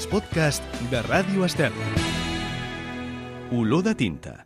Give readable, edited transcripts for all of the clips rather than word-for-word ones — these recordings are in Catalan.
els podcasts de Ràdio Estel. Olor de tinta.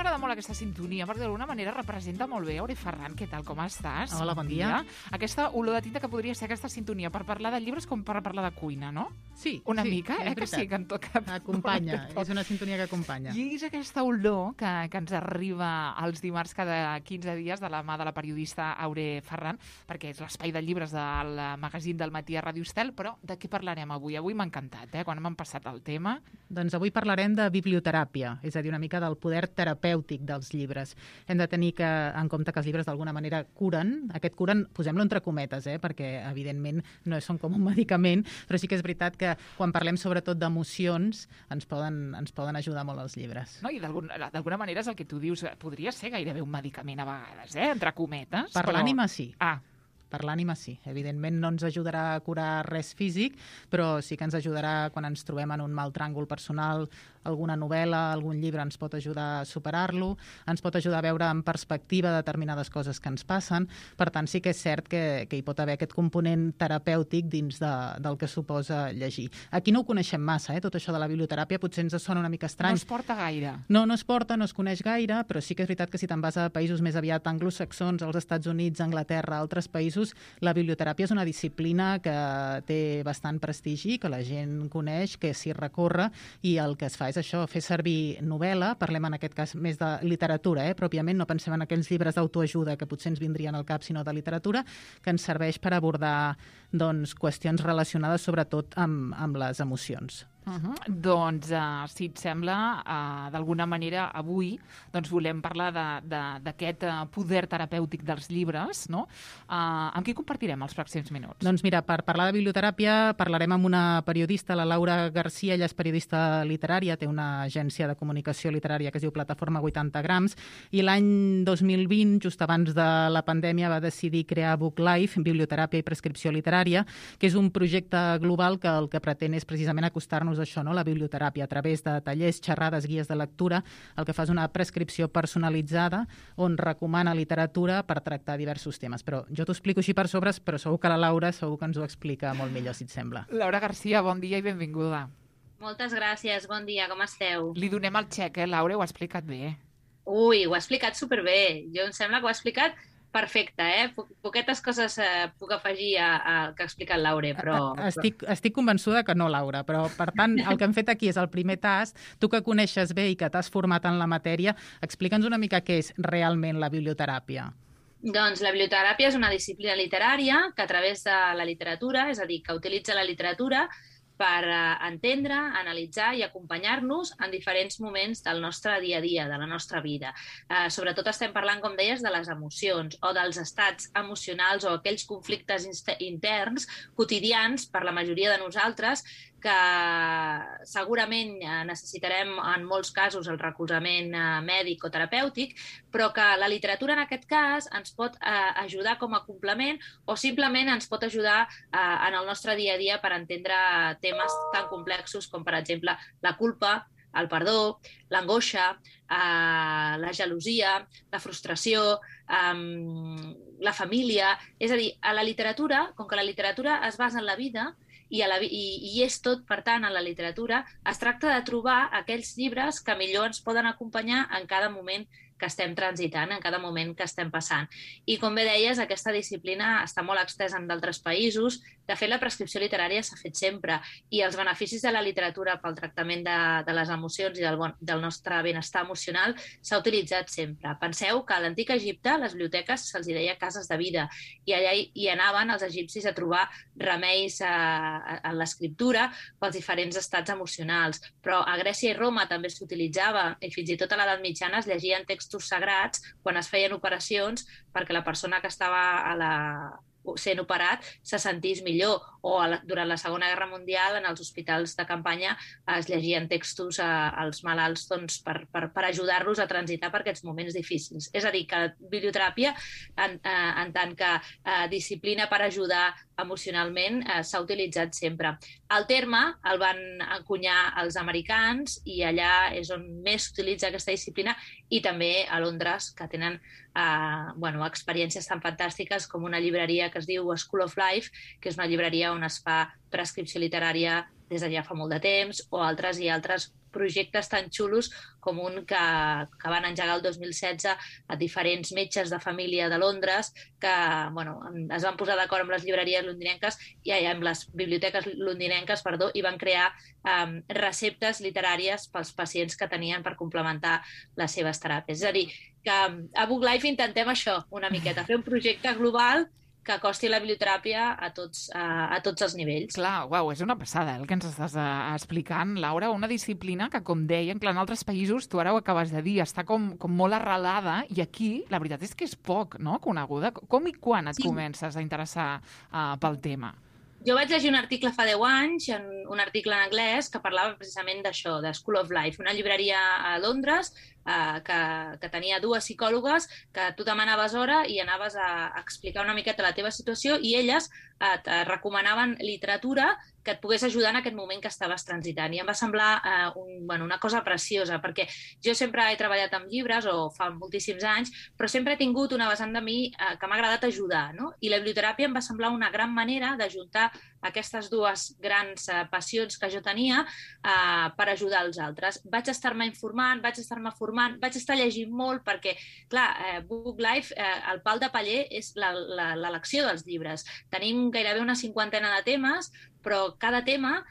M'agrada molt aquesta sintonia, perquè d'alguna manera representa molt bé. Aure Ferran, què tal, com estàs? Hola, bon dia. Aquesta olor de tinta que podria ser aquesta sintonia per parlar de llibres com per parlar de cuina, no? Sí. Una sí, mica, és que sí, que en tot cap... Acompanya, és una sintonia que acompanya. I és aquesta olor que ens arriba els dimarts cada 15 dies de la mà de la periodista Aure Ferran, perquè és l'espai de llibres del magazín del matí a Ràdio Estel, però de què parlarem avui? Avui m'ha encantat, quan m'han passat el tema. Doncs avui parlarem de biblioteràpia, és a dir, una mica del poder terapèutic dels llibres. Hem de tenir en compte que els llibres d'alguna manera curen. Aquest curen, posem-lo entre cometes, perquè evidentment no són com un medicament, però sí que és veritat que quan parlem sobretot d'emocions ens poden ajudar molt els llibres. No, i d'alguna manera és el que tu dius, podria ser gairebé un medicament a vegades, entre cometes. Per l'ànima sí. Per l'ànima sí. Evidentment no ens ajudarà a curar res físic, però sí que ens ajudarà quan ens trobem en un mal tràngol personal. Alguna novel·la, algun llibre ens pot ajudar a superar-lo, ens pot ajudar a veure en perspectiva determinades coses que ens passen. Per tant, sí que és cert que hi pot haver aquest component terapèutic dins del que suposa llegir. Aquí no ho coneixem massa, tot això de la biblioteràpia potser ens sona una mica estrany. No es porta gaire. No es porta, no es coneix gaire, però sí que és veritat que si te'n vas a països més aviat anglosaxons, als Estats Units, Anglaterra, altres països, la biblioteràpia és una disciplina que té bastant prestigi, que la gent coneix, que s'hi recorre, i el que es fa és això, fer servir novel·la, parlem en aquest cas més de literatura, pròpiament, no pensem en aquells llibres d'autoajuda que potser ens vindrien al cap, sinó de literatura, que ens serveix per abordar qüestions relacionades sobretot amb les emocions. Doncs, si et sembla, d'alguna manera avui volem parlar d'aquest poder terapèutic dels llibres, no? Amb qui compartirem els pròxims minuts? Doncs mira, per parlar de biblioteràpia parlarem amb una periodista, la Laura Garcia. Ella és periodista literària, té una agència de comunicació literària que es diu Plataforma 80 grams, i l'any 2020, just abans de la pandèmia, va decidir crear Book Life, Biblioteràpia i Prescripció Literària, que és un projecte global que el que pretén és precisament acostar-nos a això, no? La biblioteràpia, a través de tallers, xerrades, guies de lectura. El que fa és una prescripció personalitzada on recomana literatura per tractar diversos temes. Però jo t'ho explico així per sobres, però segur que la Laura segur que ens ho explica molt millor, si et sembla. Laura Garcia, bon dia i benvinguda. Moltes gràcies, bon dia, com esteu? Li donem el xec, Laura, ho ha explicat bé. Ui, ho ha explicat superbé. Jo em sembla que ho ha explicat perfecte, Poquetes coses puc afegir al que ha explicat Laura, però... Estic convençuda que no, Laura, però per tant el que hem fet aquí és el primer tast. Tu que coneixes bé i que t'has format en la matèria, explica'ns una mica què és realment la biblioteràpia. Doncs la biblioteràpia és una disciplina literària que a través de la literatura, és a dir, que utilitza la literatura per entendre, analitzar i acompanyar-nos en diferents moments del nostre dia a dia, de la nostra vida. Sobretot estem parlant, com deies, de les emocions o dels estats emocionals o aquells conflictes interns quotidians per la majoria de nosaltres que segurament necessitarem en molts casos el recolzament mèdic o terapèutic, però que la literatura en aquest cas ens pot ajudar com a complement o simplement ens pot ajudar en el nostre dia a dia per entendre temes tan complexos com, per exemple, la culpa, el perdó, l'angoixa, la gelosia, la frustració, la família... És a dir, a la literatura, com que la literatura es basa en la vida i és tot, per tant, en la literatura, es tracta de trobar aquells llibres que millor ens poden acompanyar en cada moment que estem transitant, en cada moment que estem passant. I, com bé deies, aquesta disciplina està molt extesa en d'altres països. De fet, la prescripció literària s'ha fet sempre i els beneficis de la literatura pel tractament de les emocions i del nostre benestar emocional s'ha utilitzat sempre. Penseu que a l'antic Egipte les biblioteques se'ls deia cases de vida i allà hi anaven els egipcis a trobar remeis en l'escriptura pels diferents estats emocionals. Però a Grècia i Roma també s'utilitzava i fins i tot a l'edat mitjana es llegien textos sagrats quan es feien operacions perquè la persona que estava sent operat se sentís millor, o durant la Segona Guerra Mundial en els hospitals de campanya es llegien textos als malalts per ajudar-los a transitar per aquests moments difícils. És a dir, que biblioteràpia, en tant que disciplina per ajudar emocionalment s'ha utilitzat sempre. El terme el van encunyar els americans i allà és on més s'utilitza aquesta disciplina, i també a Londres, que tenen experiències tan fantàstiques com una llibreria que es diu School of Life, que és una llibreria on es fa prescripció literària des de ja fa molt de temps, o altres projectes tan xulos com un que van engegar el 2016 a diferents metges de família de Londres que es van posar d'acord amb les llibreries londinenques i amb les biblioteques londinenques, i van crear receptes literàries pels pacients que tenien per complementar les seves teràpies. És a dir, que a Book Life intentem això, una miqueta, fer un projecte global que acosti la biblioteràpia a tots els nivells. Clar, uau, és una passada el que ens estàs explicant, Laura, una disciplina que, com deia, en altres països, tu ara ho acabes de dir, està com molt arrelada, i aquí la veritat és que és poc, no?, coneguda. Com i quan et comences a interessar pel tema? Jo vaig llegir un article fa 10 anys, un article en anglès, que parlava precisament d'això, de School of Life, una llibreria a Londres que tenia 2 psicòlogues que tu demanaves hora i anaves a explicar una miqueta la teva situació i elles et recomanaven literatura que et pogués ajudar en aquest moment que estaves transitant. I em va semblar una cosa preciosa, perquè jo sempre he treballat amb llibres, o fa moltíssims anys, però sempre he tingut una vessant de mi que m'ha agradat ajudar, no? I la biblioteràpia em va semblar una gran manera d'ajuntar aquestes 2 grans passions que jo tenia per ajudar els altres. Vaig estar-me informant, vaig estar-me formant, vaig estar llegint molt perquè, clar, Book Life, el pal de paller és l'elecció dels llibres. Tenim gairebé una 50ena de temes, però cada tema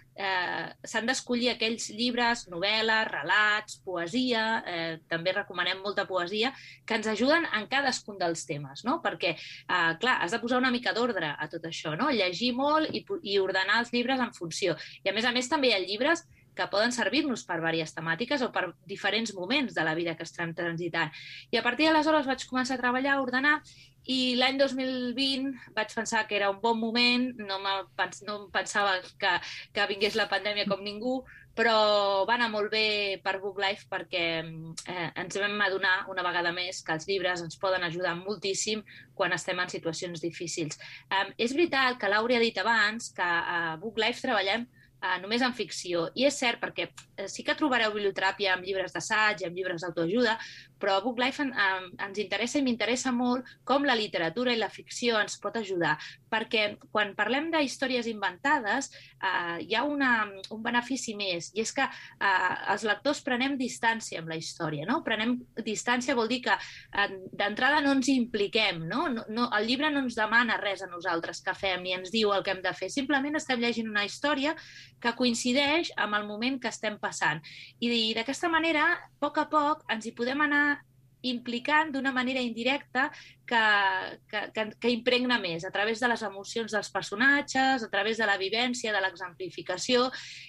s'han d'escollir aquells llibres, novel·les, relats, poesia, també recomanem molta poesia, que ens ajuden en cadascun dels temes, no? Perquè, clar, has de posar una mica d'ordre a tot això, no? Llegir molt i ordenar els llibres en funció. I a més també hi ha llibres que poden servir-nos per diverses temàtiques o per diferents moments de la vida que estem transitant. I a partir d'aleshores vaig començar a treballar, a ordenar, i l'any 2020 vaig pensar que era un bon moment, no pensava que vingués la pandèmia com ningú, però va anar molt bé per Book Life perquè ens vam adonar una vegada més que els llibres ens poden ajudar moltíssim quan estem en situacions difícils. És veritat que Laura ha dit abans que a Book Life treballem només en ficció. I és cert, perquè sí que trobareu biblioteràpia amb llibres d'assaig, amb llibres d'autoajuda, però a Book Life ens interessa i m'interessa molt com la literatura i la ficció ens pot ajudar, perquè quan parlem d'històries inventades hi ha un benefici més, i és que els lectors prenem distància amb la història, no? Prenem distància vol dir que d'entrada no ens impliquem, no? El llibre no ens demana res a nosaltres que fem ni ens diu el que hem de fer, simplement estem llegint una història que coincideix amb el moment que estem passant. I d'aquesta manera, a poc, ens hi podem anar implicant d'una manera indirecta que impregna més a través de les emocions dels personatges, a través de la vivència, de l'exemplificació,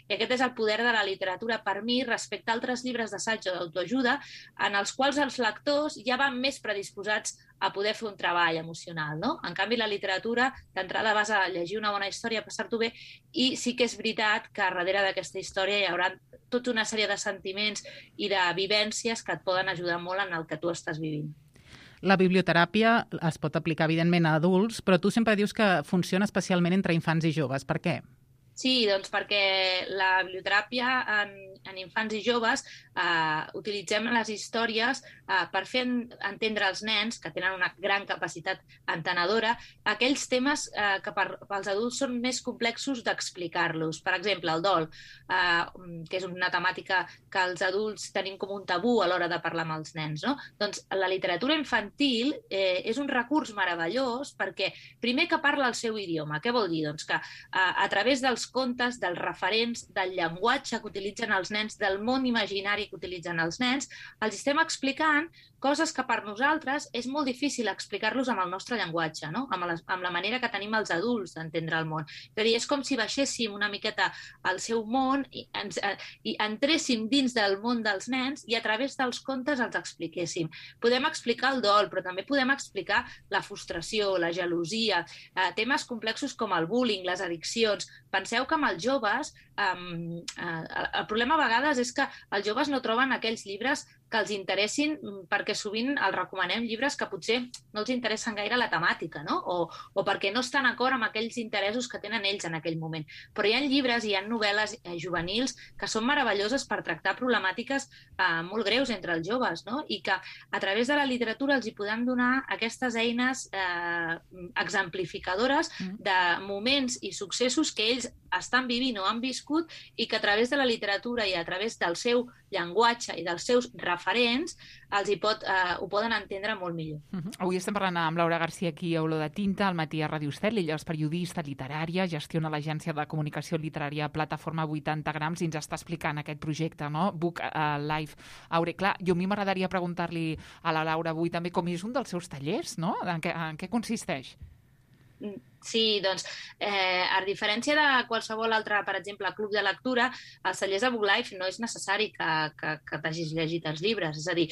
i aquest és el poder de la literatura per mi respecte a altres llibres d'assaig o d'autoajuda en els quals els lectors ja van més predisposats a poder fer un treball emocional, no? En canvi, la literatura, d'entrada vas a llegir una bona història, a passar-t'ho bé, i sí que és veritat que darrere d'aquesta història hi haurà tota una sèrie de sentiments i de vivències que et poden ajudar molt en el que tu estàs vivint. La biblioteràpia es pot aplicar, evidentment, a adults, però tu sempre dius que funciona especialment entre infants i joves. Per què? Sí, doncs perquè la biblioteràpia en infants i joves utilitzem les històries per fer entendre als nens, que tenen una gran capacitat entenedora, aquells temes que pels adults són més complexos d'explicar-los. Per exemple, el dol, que és una temàtica que els adults tenim com un tabú a l'hora de parlar amb els nens, no? Doncs la literatura infantil és un recurs meravellós perquè, primer, que parla el seu idioma. Què vol dir? Doncs que a través dels contes, dels referents, del llenguatge que utilitzen els nens, del món imaginari que utilitzen els nens, els estem explicant coses que per nosaltres és molt difícil explicar-los amb el nostre llenguatge, no? Amb la manera que tenim els adults d'entendre el món. És a dir, és com si baixéssim una miqueta al seu món i entréssim dins del món dels nens i a través dels contes els expliquéssim. Podem explicar el dol, però també podem explicar la frustració, la gelosia, temes complexos com el bullying, les addiccions. Pensem penseu que amb els joves, el problema a vegades és que els joves no troben aquells llibres que els interessin, perquè sovint els recomanem llibres que potser no els interessen gaire la temàtica, no? O perquè no estan d'acord amb aquells interessos que tenen ells en aquell moment. Però hi ha llibres, hi ha novel·les juvenils que són meravelloses per tractar problemàtiques molt greus entre els joves, no? I que a través de la literatura els hi podem donar aquestes eines exemplificadores de moments i successos que ells estan vivint o han viscut i que a través de la literatura i a través del seu llenguatge i dels seus referents ho poden entendre molt millor. Avui estem parlant amb Laura Garcia aquí a Olor de Tinta, al matí a Ràdio Estel. Ella és periodista literària, gestiona l'agència de comunicació literària Plataforma 80 grams i ens està explicant aquest projecte, no? Book Live Aure. Clar, a mi m'agradaria preguntar-li a la Laura avui també com és un dels seus tallers, no? En què consisteix? Sí, doncs, a diferència de qualsevol altre, per exemple, club de lectura, als tallers de Book Live no és necessari que t'hagis llegit els llibres. És a dir,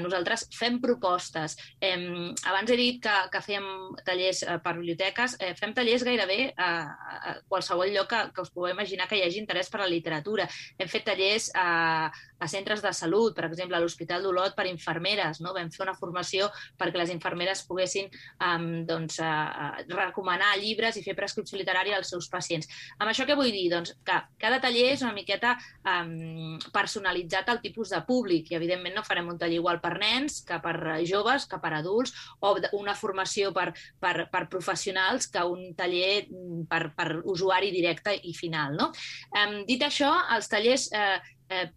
nosaltres fem propostes. Abans he dit que fèiem tallers per biblioteques, fem tallers gairebé a qualsevol lloc que us pugueu imaginar que hi hagi interès per la literatura. Hem fet tallers a centres de salut, per exemple, a l'Hospital d'Olot per infermeres, no? Vam fer una formació perquè les infermeres poguessin recomanar llibres i fer prescripció literària als seus pacients. Amb això què vull dir? Doncs que cada taller és una miqueta personalitzat al tipus de públic i, evidentment, no farem un taller igual per nens que per joves, que per adults, o una formació per professionals que un taller per usuari directe i final, no? Dit això, els tallers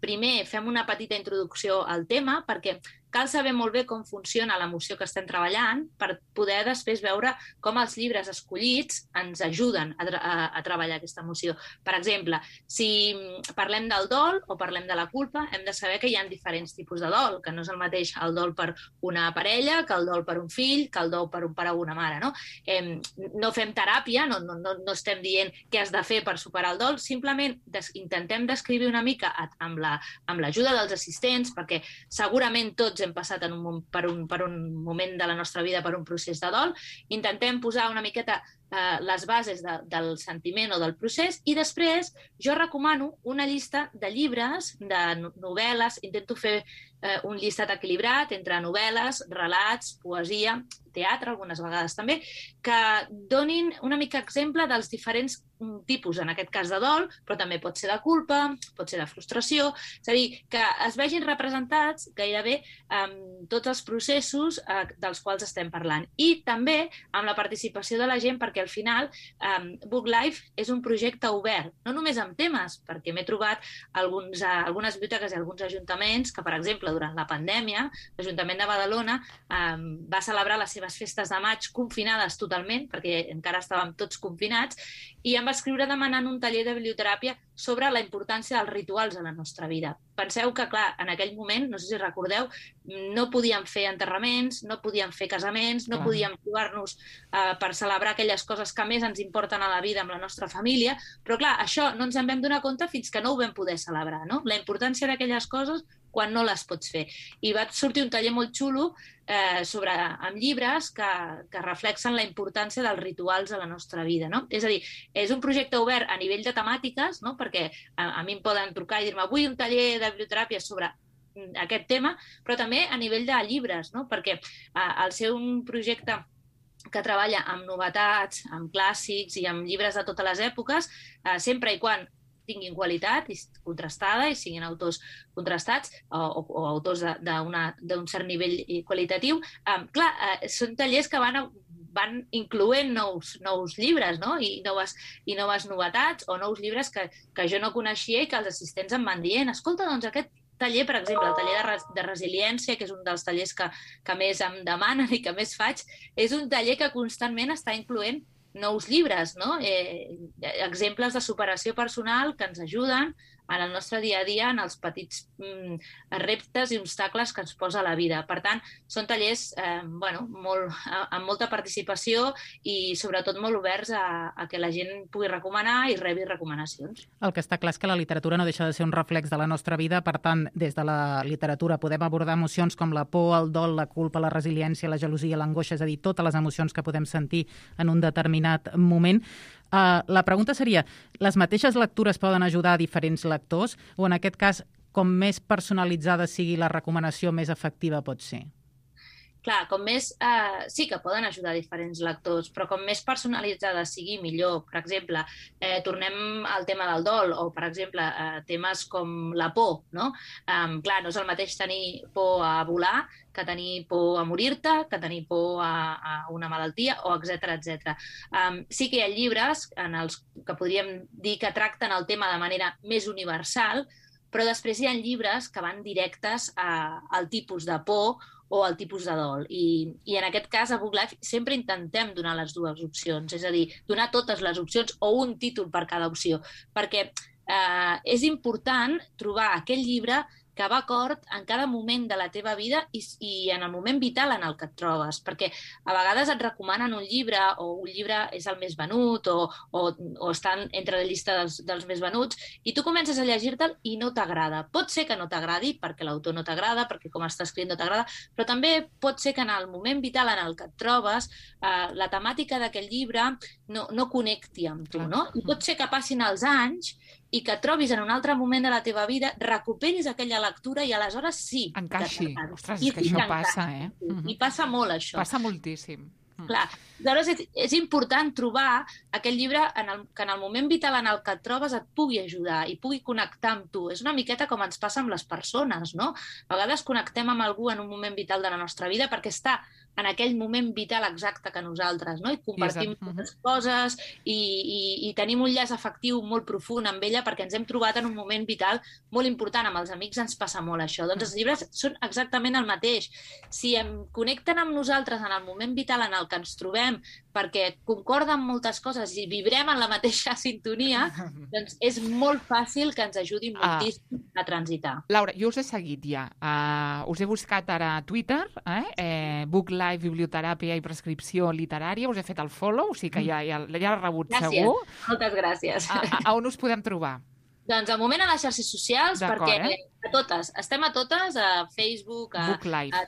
primer fem una petita introducció al tema perquè cal saber molt bé com funciona l'emoció que estem treballant per poder després veure com els llibres escollits ens ajuden a treballar aquesta emoció. Per exemple, si parlem del dol o parlem de la culpa, hem de saber que hi ha diferents tipus de dol, que no és el mateix el dol per una parella, que el dol per un fill, que el dol per un pare o una mare, no? No fem teràpia, no estem dient què has de fer per superar el dol, simplement intentem descriure una mica amb l'ajuda dels assistents, perquè segurament tots hem passat per un moment de la nostra vida per un procés de dol, intentem posar una miqueta les bases del sentiment o del procés i després jo recomano una llista de llibres, de novel·les, intento fer un llistat equilibrat entre novel·les, relats, poesia, teatre, algunes vegades també, que donin una mica exemple dels diferents tipus, en aquest cas de dol, però també pot ser de culpa, pot ser de frustració, és a dir, que es vegin representats gairebé tots els processos dels quals estem parlant. I també amb la participació de la gent, perquè al final Book Live és un projecte obert, no només amb temes, perquè m'he trobat algunes biblioteques i alguns ajuntaments que, per exemple, durant la pandèmia, l'Ajuntament de Badalona va celebrar les seves festes de maig confinades totalment, perquè encara estàvem tots confinats, i em va escriure demanant un taller de biblioteràpia sobre la importància dels rituals a la nostra vida. Penseu que, clar, en aquell moment, no sé si recordeu, no podíem fer enterraments, no podíem fer casaments, no podíem trobar-nos per celebrar aquelles coses que més ens importen a la vida amb la nostra família, però, clar, això no ens en vam donar compte fins que no ho vam poder celebrar, no? La importància d'aquelles coses quan no les pots fer. I va sortir un taller molt xulo amb llibres que reflexen la importància dels rituals a la nostra vida, no? És a dir, és un projecte obert a nivell de temàtiques, no? Perquè a mi em poden trucar i dir-me avui un taller de biblioteràpia sobre aquest tema, però també a nivell de llibres, no? Perquè al ser un projecte que treballa amb novetats, amb clàssics i amb llibres de totes les èpoques, sempre i quan tinguin qualitat i contrastada i siguin autors contrastats o autors d'un cert nivell qualitatiu. Clar, són tallers que van incloent nous llibres, no? I noves novetats o nous llibres que jo no coneixia i que els assistents em van dient escolta, doncs aquest taller, per exemple, el taller de resiliència, que és un dels tallers que més em demanen i que més faig, és un taller que constantment està incloent nous llibres, no? Exemples de superació personal que ens ajuden en el nostre dia a dia, en els petits reptes i obstacles que ens posa la vida. Per tant, són tallers amb molta participació i sobretot molt oberts a que la gent pugui recomanar i rebi recomanacions. El que està clar és que la literatura no deixa de ser un reflex de la nostra vida, per tant, des de la literatura podem abordar emocions com la por, el dol, la culpa, la resiliència, la gelosia, l'angoixa, és a dir, totes les emocions que podem sentir en un determinat moment. La pregunta seria, les mateixes lectures poden ajudar a diferents lectors o en aquest cas, com més personalitzada sigui la recomanació, més efectiva pot ser? Clar, com més... sí que poden ajudar diferents lectors, però com més personalitzada sigui, millor. Per exemple, tornem al tema del dol, o, per exemple, temes com la por, no? Clar, no és el mateix tenir por a volar que tenir por a morir-te, que tenir por a una malaltia, o etc etc. Sí que hi ha llibres en els que podríem dir que tracten el tema de manera més universal, però després hi ha llibres que van directes al tipus de por o al tipus de dol. I en aquest cas, a Book Life, sempre intentem donar les dues opcions, és a dir, donar totes les opcions o un títol per cada opció, perquè és important trobar aquell llibre que va acord en cada moment de la teva vida i en el moment vital en el que et trobes, perquè a vegades et recomanen un llibre o un llibre és el més venut o està entre la llista dels més venuts i tu comences a llegir-te'l i no t'agrada. Pot ser que no t'agradi perquè l'autor no t'agrada, perquè com està escrit no t'agrada, però també pot ser que en el moment vital en el que et trobes la temàtica d'aquell llibre no connecti amb tu, no? I pot ser que passin els anys i que trobis en un altre moment de la teva vida, recuperis aquella lectura i aleshores sí. Encaixi. Ostres, és que això passa, eh? I passa molt, això. Passa moltíssim. Clar, aleshores és important trobar aquell llibre que en el moment vital en el que et trobes et pugui ajudar i pugui connectar amb tu. És una miqueta com ens passa amb les persones, no? A vegades connectem amb algú en un moment vital de la nostra vida perquè està en aquell moment vital exacte que nosaltres, no? I compartim moltes coses i tenim un llaç afectiu molt profund amb ella perquè ens hem trobat en un moment vital molt important. Amb els amics ens passa molt això. Doncs els llibres són exactament el mateix. Si em connecten amb nosaltres en el moment vital en el que ens trobem perquè concorden moltes coses i vibrem en la mateixa sintonia, doncs és molt fàcil que ens ajudi moltíssim a transitar. Laura, jo us he seguit ja. Us he buscat ara a Twitter, Book Life, biblioteràpia i prescripció literària. Us he fet el follow, o sigui que ja l'he rebut segur. Moltes gràcies. A on us podem trobar? Doncs al moment a les xarxes socials, perquè a totes, estem a totes, a Facebook, a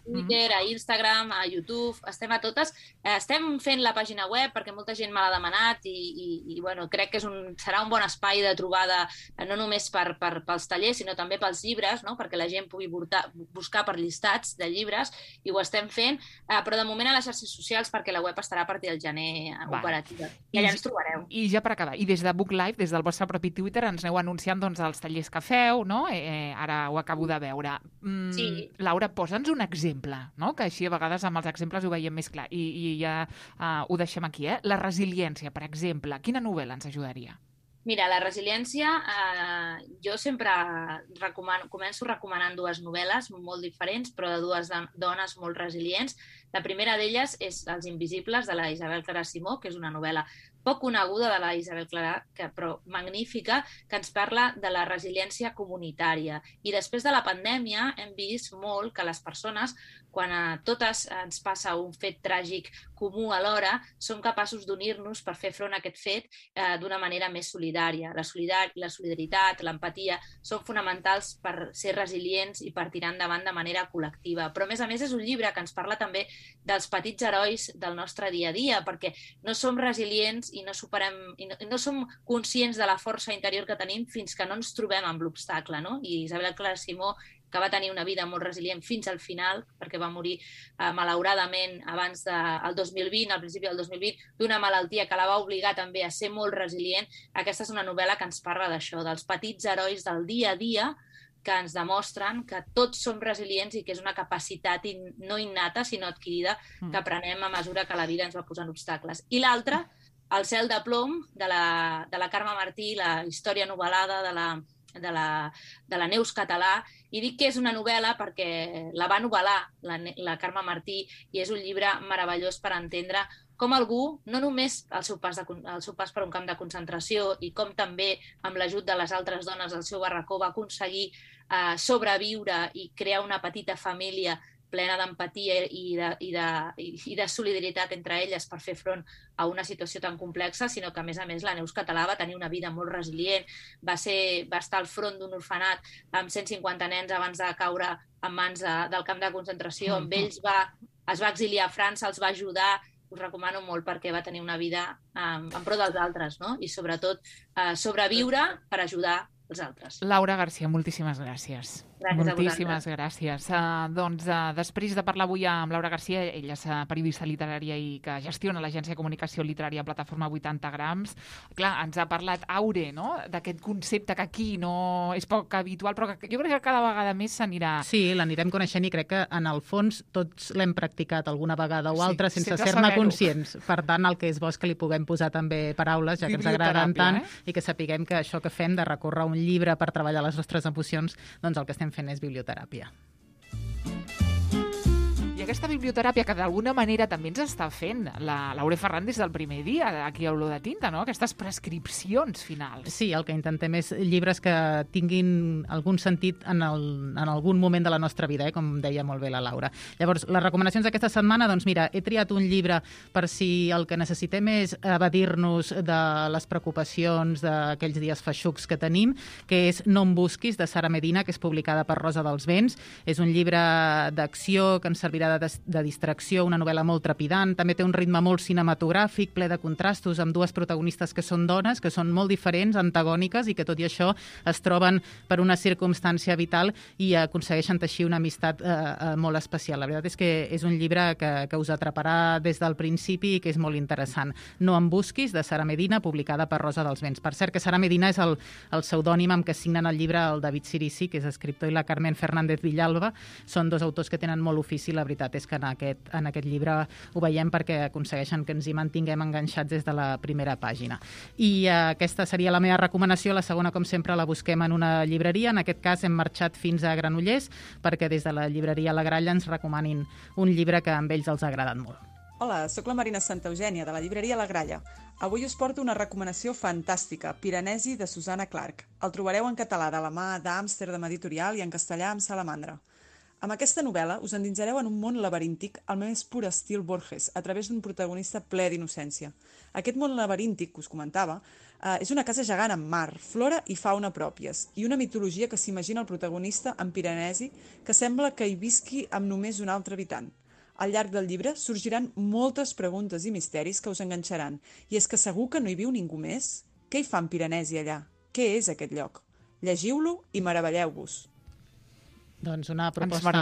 Twitter, a Instagram, a YouTube, estem a totes. Estem fent la pàgina web perquè molta gent me l'ha demanat i bueno, crec que serà un bon espai de trobada, no només pels tallers, sinó també pels llibres, no? Perquè la gent pugui buscar per llistats de llibres, i ho estem fent, però de moment a les xarxes socials perquè la web estarà a partir del gener operativa. I allà ens trobareu. I ja per acabar, i des de Book Life, des del vostre propi Twitter, ens aneu anunciant els tallers que feu, no? Ara ho acabo de veure. Sí. Laura, posa'ns un exemple, no? Que així a vegades amb els exemples ho veiem més clar. I ja ho deixem aquí, La resiliència, per exemple. Quina novel·la ens ajudaria? Mira, la resiliència, jo sempre començo recomanant dues novel·les molt diferents, però de dues dones molt resilients. La primera d'elles és Els invisibles, de la Isabel Clara Simó, que és una novel·la poc coneguda de la Isabel Clara, però magnífica, que ens parla de la resiliència comunitària. I després de la pandèmia hem vist molt que les persones, quan a totes ens passa un fet tràgic comú alhora, som capaços d'unir-nos per fer front a aquest fet d'una manera més solidària. La solidaritat, l'empatia són fonamentals per ser resilients i per tirar endavant de manera col·lectiva. Però, a més, és un llibre que ens parla també dels petits herois del nostre dia a dia, perquè no som resilients i no som conscients de la força interior que tenim fins que no ens trobem amb l'obstacle, no? I Isabel Clara Simó, que va tenir una vida molt resilient fins al final, perquè va morir malauradament abans del 2020, al principi del 2020, d'una malaltia que la va obligar també a ser molt resilient. Aquesta és una novel·la que ens parla d'això, dels petits herois del dia a dia, que ens demostren que tots som resilients i que és una capacitat no innata, sinó adquirida, que aprenem a mesura que la vida ens va posant obstacles. I l'altra, El cel de plom, de la Carme Martí, la història novel·lada de la Neus Català, i dic que és una novel·la perquè la va novel·lar la Carme Martí i és un llibre meravellós per entendre com algú, no només el seu pas per un camp de concentració i com també amb l'ajut de les altres dones del seu barracó va aconseguir sobreviure i crear una petita família plena d'empatia i de solidaritat entre elles per fer front a una situació tan complexa, sinó que, a més, la Neus Català va tenir una vida molt resilient, va estar al front d'un orfenat amb 150 nens abans de caure en mans del camp de concentració, amb ells es va exiliar a França, els va ajudar, us recomano molt perquè va tenir una vida en pro dels altres, no? I sobretot sobreviure per ajudar els altres. Laura Garcia, moltíssimes gràcies. Moltíssimes gràcies. Després de parlar avui amb Laura Garcia, ella és periodista literària i que gestiona l'agència de comunicació literària Plataforma 80 grams. Clar, ens ha parlat Aure, no?, d'aquest concepte que aquí no és poc habitual, però que jo crec que cada vegada més s'anirà... Sí, l'anirem coneixent i crec que en el fons tots l'hem practicat alguna vegada o altra sense ser-ne conscients. Per tant, el que és bo és que li puguem posar també paraules, ja que ens agraden tant, i que sapiguem que això que fem de recórrer un llibre per treballar les nostres emocions, doncs el que estem fent és biblioteràpia. I aquesta biblioteràpia que d'alguna manera també ens està fent l'Aure Ferran des del primer dia aquí a Olor de Tinta, no? Aquestes prescripcions finals. Sí, el que intentem és llibres que tinguin algun sentit en algun moment de la nostra vida, com deia molt bé la Laura. Llavors, les recomanacions d'aquesta setmana, doncs mira, he triat un llibre per si el que necessitem és evadir-nos de les preocupacions d'aquells dies feixucs que tenim, que és No em busquis, de Sara Medina, que és publicada per Rosa dels Vents. És un llibre d'acció que ens servirà de distracció, una novel·la molt trepidant, també té un ritme molt cinematogràfic, ple de contrastos, amb dues protagonistes que són dones, que són molt diferents, antagòniques, i que tot i això es troben per una circumstància vital i aconsegueixen teixir una amistat molt especial. La veritat és que és un llibre que us atraparà des del principi i que és molt interessant. No em busquis, de Sara Medina, publicada per Rosa dels Vents. Per cert, que Sara Medina és el pseudònim amb què signen el llibre el David Cirici, que és escriptor, i la Carmen Fernández Villalba. Són dos autors que tenen molt ofici. La veritat és que en aquest llibre ho veiem perquè aconsegueixen que ens hi mantinguem enganxats des de la primera pàgina. I aquesta seria la meva recomanació. La segona, com sempre, la busquem en una llibreria. En aquest cas hem marxat fins a Granollers perquè des de la llibreria La Gralla ens recomanin un llibre que a ells els ha agradat molt. Hola, sóc la Marina Santa Eugènia, de la llibreria La Gralla. Avui us porto una recomanació fantàstica, Piranesi, de Susanna Clark. El trobareu en català de la mà d'Amsterdam Editorial i en castellà amb Salamandra. Amb aquesta novel·la us endinsareu en un món laberíntic al més pur estil Borges, a través d'un protagonista ple d'innocència. Aquest món laberíntic que us comentava és una casa gegant amb mar, flora i fauna pròpies, i una mitologia que s'imagina el protagonista en Piranesi, que sembla que hi visqui amb només un altre habitant. Al llarg del llibre sorgiran moltes preguntes i misteris que us enganxaran, i és que segur que no hi viu ningú més? Què hi fa en Piranesi allà? Què és aquest lloc? Llegiu-lo i meravelleu-vos. Doncs una proposta...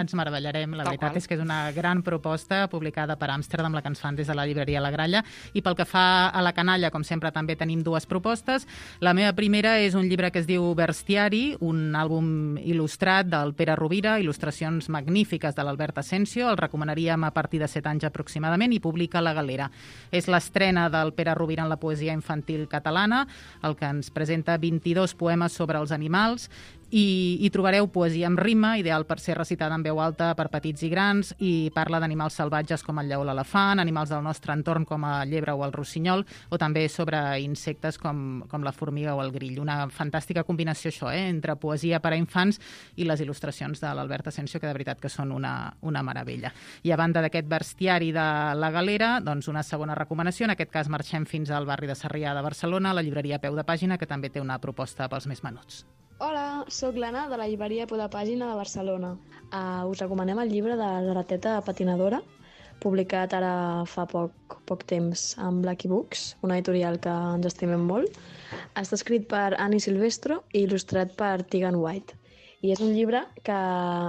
Ens meravellarem. La veritat és que és una gran proposta publicada per Amsterdam, la que ens fan des de la llibreria La Gralla. I pel que fa a la canalla, com sempre, també tenim dues propostes. La meva primera és un llibre que es diu Bestiari, un àlbum il·lustrat del Pere Rovira, il·lustracions magnífiques de l'Albert Asensio. El recomanaríem a partir de 7 anys aproximadament, i publica La Galera. És l'estrena del Pere Rovira en la poesia infantil catalana, el que ens presenta 22 poemes sobre els animals, i hi trobareu poesia amb rima, ideal per ser recitada en veu alta per petits i grans, i parla d'animals salvatges com el lleó o l'elefant, animals del nostre entorn com el llebre o el rossinyol, o també sobre insectes com la formiga o el grill. Una fantàstica combinació, això, entre poesia per a infants i les il·lustracions de l'Albert Asensio, que de veritat que són una meravella. I a banda d'aquest bestiari de La Galera, doncs una segona recomanació. En aquest cas marxem fins al barri de Sarrià de Barcelona, la llibreria Peu de Pàgina, que també té una proposta pels més menuts. Hola, sóc l'Anna de la llibreria Peu de Pàgina de Barcelona. Us recomanem el llibre de la rateta patinadora, publicat ara fa poc temps amb Lucky Books, una editorial que ens estimem molt. Està escrit per Annie Silvestro i il·lustrat per Tegan White. I és un llibre que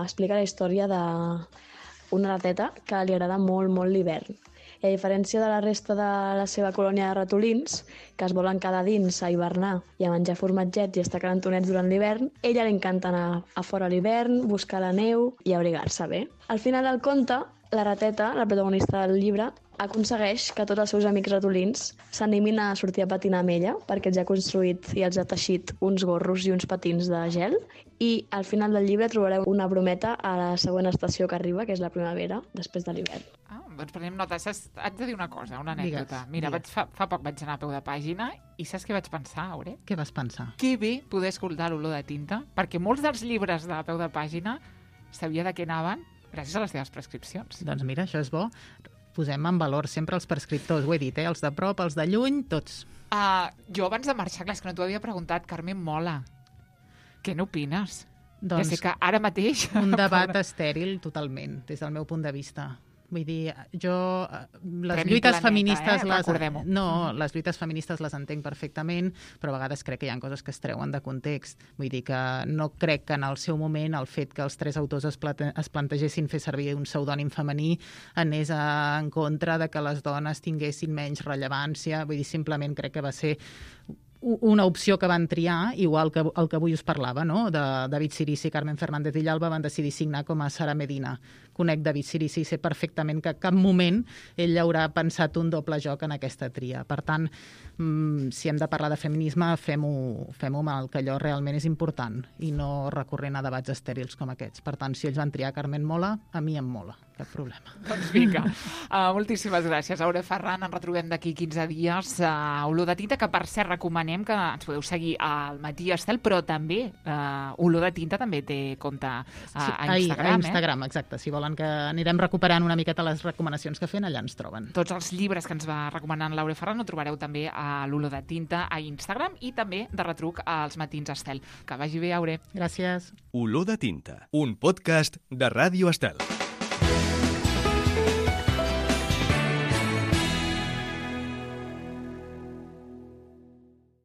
explica la història d'una rateta que li agrada molt, molt l'hivern. I a diferència de la resta de la seva colònia de ratolins, que es volen quedar dins a hivernar i a menjar formatgets i estar calentonets durant l'hivern, a ella li encanta anar a fora a l'hivern, buscar la neu i abrigar-se bé. Al final del conte, la rateta, la protagonista del llibre, aconsegueix que tots els seus amics ratolins s'animin a sortir a patinar amb ella, perquè els ha construït i els ha teixit uns gorros i uns patins de gel, i al final del llibre trobareu una brometa a la següent estació que arriba, que és la primavera, després de l'hivern. Doncs prenem nota. Haig de dir una cosa, una anècdota. Mira, fa poc vaig anar a Peu de Pàgina i saps què vaig pensar, Aure? Què vas pensar? Que bé poder escoltar l'olor de tinta, perquè molts dels llibres de Peu de Pàgina sabia de què anaven gràcies a les teves prescripcions. Doncs mira, això és bo. Posem en valor sempre els prescriptors, ho he dit, els de prop, els de lluny, tots. Jo abans de marxar, clar, és que no t'ho havia preguntat, Carmen Mola, què n'opines? Doncs ja sé que ara mateix... Un debat estèril totalment, des del meu punt de vista. Vull dir, jo... Les Premi lluites Planeta, feministes... recordem-ho. No, les lluites feministes les entenc perfectament, però a vegades crec que hi ha coses que es treuen de context. Vull dir que no crec que en el seu moment el fet que els 3 autors es plantegessin fer servir un pseudònim femení anés en contra de que les dones tinguessin menys rellevància. Vull dir, simplement crec que va ser una opció que van triar, igual que el que avui us parlava, no? De David Cirici i Carmen Fernández Villalba van decidir signar com a Sara Medina. Conec David Cirici i sé perfectament que a cap moment ell haurà pensat un doble joc en aquesta tria. Per tant, si hem de parlar de feminisme, fem-ho amb el que allò realment és important i no recorrent a debats estèrils com aquests. Per tant, si ells van triar Carmen mola, a mi em mola, cap problema. Doncs vinga, moltíssimes gràcies. Aure Ferran, ens retrobem d'aquí 15 dies a Olor de Tinta, que per cert recomanem que ens podeu seguir al Matí Estel, però també Olor de Tinta també té compte a Instagram. A Instagram, exacte. Si volen que anirem recuperant una miqueta les recomanacions que fem, allà ens troben. Tots els llibres que ens va recomanant l'Aure Ferran ho trobareu també a l'Olor de Tinta a Instagram i també de retruc als Matins Estel. Que vagi bé, Aure. Gràcies. Olor de Tinta, un podcast de Ràdio Estel.